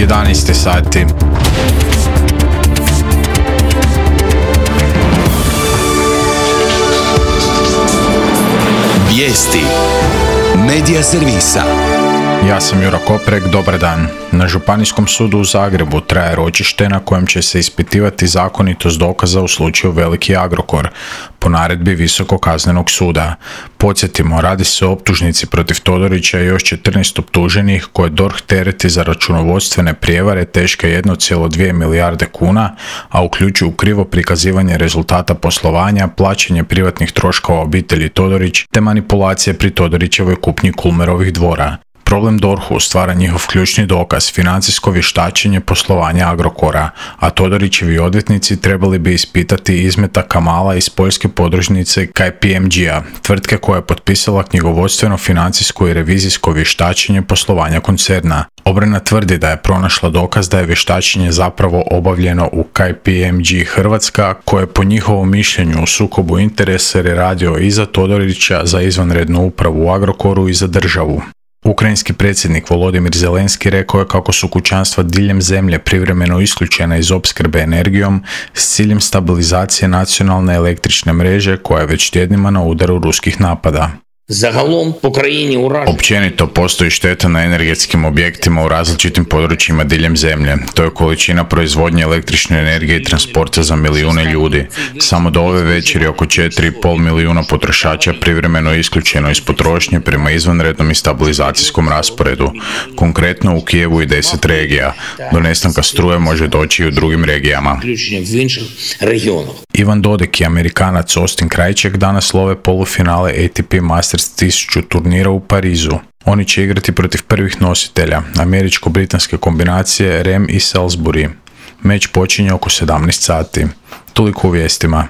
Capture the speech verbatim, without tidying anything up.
jedanaest sati. Vijesti Medija servisa. Ja sam Juro Koprek, dobar dan. Na Županijskom sudu u Zagrebu traje ročište na kojem će se ispitivati zakonitost dokaza u slučaju Veliki Agrokor, po naredbi Visokog kaznenog suda. Podsjetimo, radi se o optužnici protiv Todorića i još četrnaest optuženih koje D O R H tereti za računovodstvene prijevare teške jedne zarez dvije milijarde kuna, a uključuju krivo prikazivanje rezultata poslovanja, plaćanje privatnih troškova obitelji Todorić te manipulacije pri Todorićevoj kupnji Kulmerovih dvora. Problem D O R H-u stvara njihov ključni dokaz, financijsko vještačenje poslovanja Agrokora, a Todorićevi odvjetnici trebali bi ispitati izmetak Kamala iz poljske podružnice K P M G-a, tvrtke koja je potpisala knjigovodstveno, financijsko i revizijsko vještačenje poslovanja koncerna. Obrana tvrdi da je pronašla dokaz da je vještačenje zapravo obavljeno u K P M G Hrvatska, koje je po njihovom mišljenju u sukobu interesa jer je radio i za Todorića, za izvanrednu upravu u Agrokoru i za državu. Ukrajinski predsjednik Volodimir Zelenski rekao je kako su kućanstva diljem zemlje privremeno isključena iz opskrbe energijom s ciljem stabilizacije nacionalne električne mreže koja je već tjednima na udaru ruskih napada. Zagalom po krajini uražen. Općenito postoji šteta na energetskim objektima u različitim područjima diljem zemlje. To je količina proizvodnje električne energije i transporta za milijune ljudi. Samo do ove večeri oko četiri i pol milijuna potrošača privremeno je isključeno iz potrošnje prema izvanrednom i stabilizacijskom rasporedu. Konkretno u Kijevu i deset regija. Do nestanka struje može doći i u drugim regijama. Ivan Dodik i Amerikanac Austin Krajček danas love polufinale A T P Masters tisuću turnira u Parizu. Oni će igrati protiv prvih nositelja, američko-britanske kombinacije Rem i Salisbury. Meč počinje oko sedamnaest sati. Toliko u vijestima.